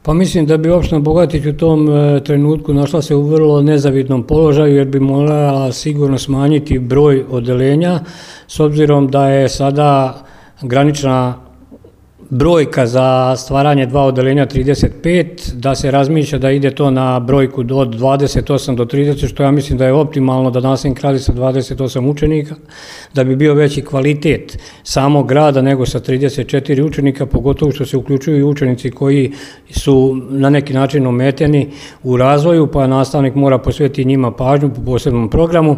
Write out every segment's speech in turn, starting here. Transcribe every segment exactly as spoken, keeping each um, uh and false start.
Pa mislim da bi opština Bogatić u tom trenutku našla se u vrlo nezavidnom položaju jer bi morala sigurno smanjiti broj odeljenja s obzirom da je sada granična brojka za stvaranje dva odeljenja trideset pet, da se razmišlja da ide to na brojku od dvadeset osam do trideset, što ja mislim da je optimalno da nastavnik radi sa dvadeset osam učenika, da bi bio veći kvalitet samog grada nego sa trideset četiri učenika, pogotovo što se uključuju i učenici koji su na neki način ometeni u razvoju, pa nastavnik mora posvetiti njima pažnju po posebnom programu,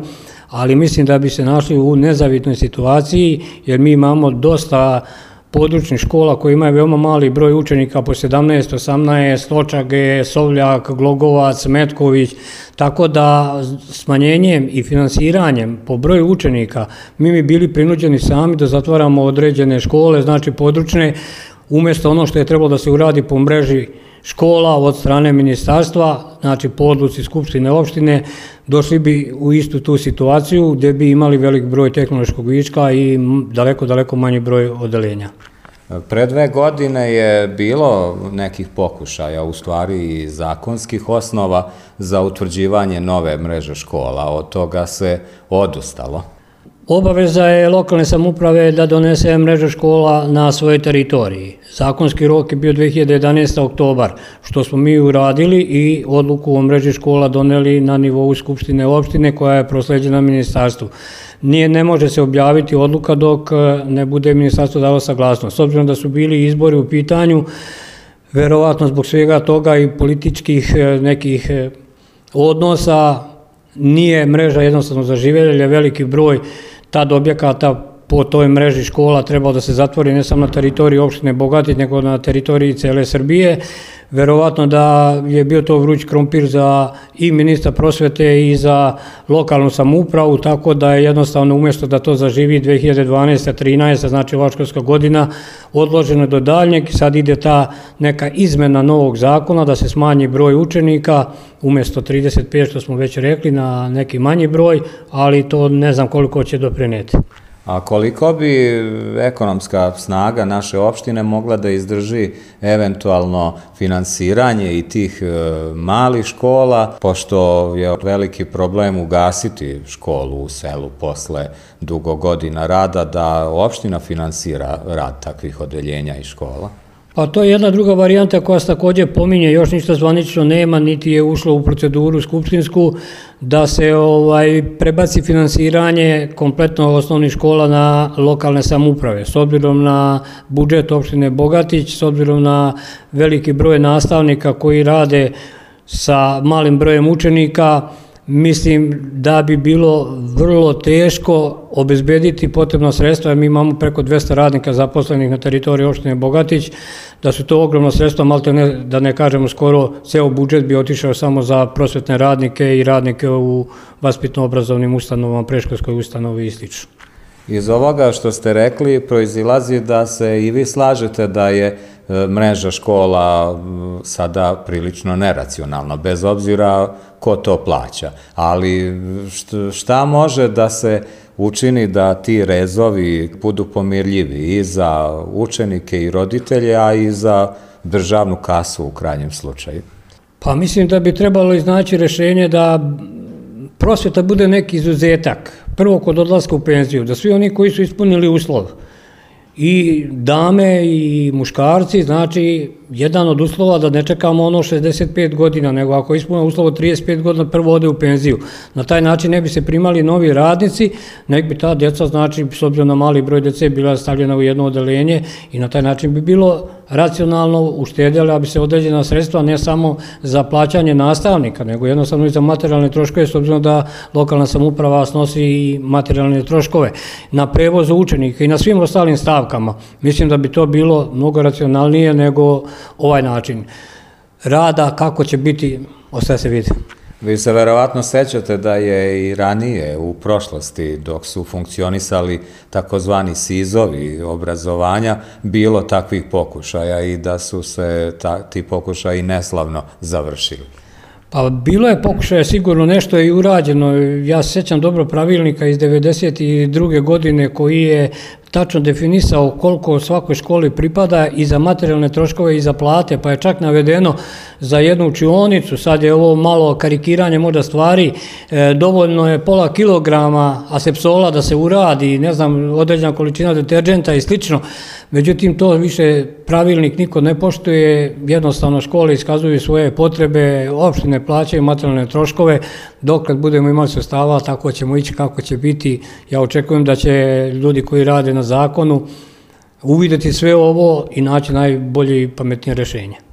ali mislim da bi se našli u nezavidnoj situaciji jer mi imamo dosta područnih škola koji imaju veoma mali broj učenika po sedamnaest, osamnaest, Očage, Sovljak, Glogovac, Metković, tako da smanjenjem i finansiranjem po broju učenika mi bi bili prinuđeni sami da zatvaramo određene škole, znači područne, umjesto ono što je trebalo da se uradi po mreži škola od strane ministarstva, znači po odluci Skupštine opštine, došli bi u istu tu situaciju gdje bi imali velik broj tehnološkog viška i daleko, daleko manji broj odeljenja. Pre dve godine je bilo nekih pokušaja, u stvari i zakonskih osnova za utvrđivanje nove mreže škola, od toga se odustalo. Obaveza je lokalne samouprave da donese mrežu škola na svojoj teritoriji. Zakonski rok je bio dve hiljade jedanaeste. oktobar, što smo mi uradili i odluku o mreži škola doneli na nivou Skupštine opštine koja je prosleđena ministarstvu. Nije, ne može se objaviti odluka dok ne bude ministarstvo dalo saglasnost. S obzirom da su bili izbori u pitanju, verovatno zbog svega toga i političkih nekih odnosa, nije mreža jednostavno zaživjela, jer je veliki broj tad objekata po toj mreži škola trebao da se zatvori ne samo na teritoriji opštine Bogatić, nego na teritoriji cele Srbije. Verovatno da je bio to vruć krompir za i ministra prosvete i za lokalnu samoupravu, tako da je jednostavno umjesto da to zaživi dve hiljade dvanaeste. trinaeste. znači ova školska godina, odloženo do daljnjeg, sad ide ta neka izmena novog zakona da se smanji broj učenika, umjesto trideset pet što smo već rekli na neki manji broj, ali to ne znam koliko će doprineti. A koliko bi ekonomska snaga naše opštine mogla da izdrži eventualno finansiranje i tih malih škola, pošto je veliki problem ugasiti školu u selu posle dugo godina rada, da opština finansira rad takvih odeljenja i škola? Pa to je jedna druga varijanta koja se također pominje, još ništa zvanično nema, niti je ušlo u proceduru skupštinsku, da se ovaj prebaci finansiranje kompletno osnovnih škola na lokalne samouprave. S obzirom na budžet opštine Bogatić, s obzirom na veliki broj nastavnika koji rade sa malim brojem učenika, mislim da bi bilo vrlo teško obezbediti potrebna sredstva, jer mi imamo preko dvesta radnika zaposlenih na teritoriji opštine Bogatić, da su to ogromna sredstva, malte ne, da ne kažemo skoro ceo budžet bi otišao samo za prosvetne radnike i radnike u vaspitno-obrazovnim ustanovama, predškolskoj ustanovi i slično. Iz ovoga što ste rekli proizilazi da se i vi slažete da je mreža škola sada prilično neracionalna, bez obzira ko to plaća. Ali šta može da se učini da ti rezovi budu pomirljivi i za učenike i roditelje, a i za državnu kasu u krajnjem slučaju? Pa mislim da bi trebalo iznaći rešenje da prosveta bude neki izuzetak. Prvo kod odlaska u penziju, da svi oni koji su ispunili uslov, i dame i muškarci, znači jedan od uslova da ne čekamo ono šezdeset pet godina, nego ako ispunimo uslov od trideset pet godina prvo ode u penziju. Na taj način ne bi se primali novi radnici, nek bi ta djeca, znači s obzirom na mali broj djece, bila stavljena u jedno odeljenje i na taj način bi bilo racionalno uštedjela bi se određena sredstva ne samo za plaćanje nastavnika, nego jednostavno i za materijalne troškove, s obzirom da lokalna samouprava snosi i materijalne troškove na prevozu učenika i na svim ostalim stavkama. Mislim da bi to bilo mnogo racionalnije nego ovaj način rada. Kako će biti, ostaje se vidi. Vi se verovatno sećate da je i ranije u prošlosti, dok su funkcionisali takozvani sizovi obrazovanja, bilo takvih pokušaja i da su se ti pokušaji neslavno završili. Pa bilo je pokušaja, sigurno nešto je i urađeno. Ja se sećam dobro pravilnika iz devedeset druge godine koji je tačno definisao koliko svakoj školi pripada i za materijalne troškove i za plate, pa je čak navedeno za jednu učionicu, sad je ovo malo karikiranje možda stvari, e, dovoljno je pola kilograma asepsola da se uradi, ne znam, određena količina deterđenta i slično, međutim to više pravilnik niko ne poštuje, jednostavno škole iskazuju svoje potrebe, opštine plaćaju materijalne troškove, dok kad budemo imali sredstava, tako ćemo ići kako će biti. Ja očekujem da će ljudi koji rade na zakonu uvidjeti sve ovo i naći najbolje i pametnije rješenje.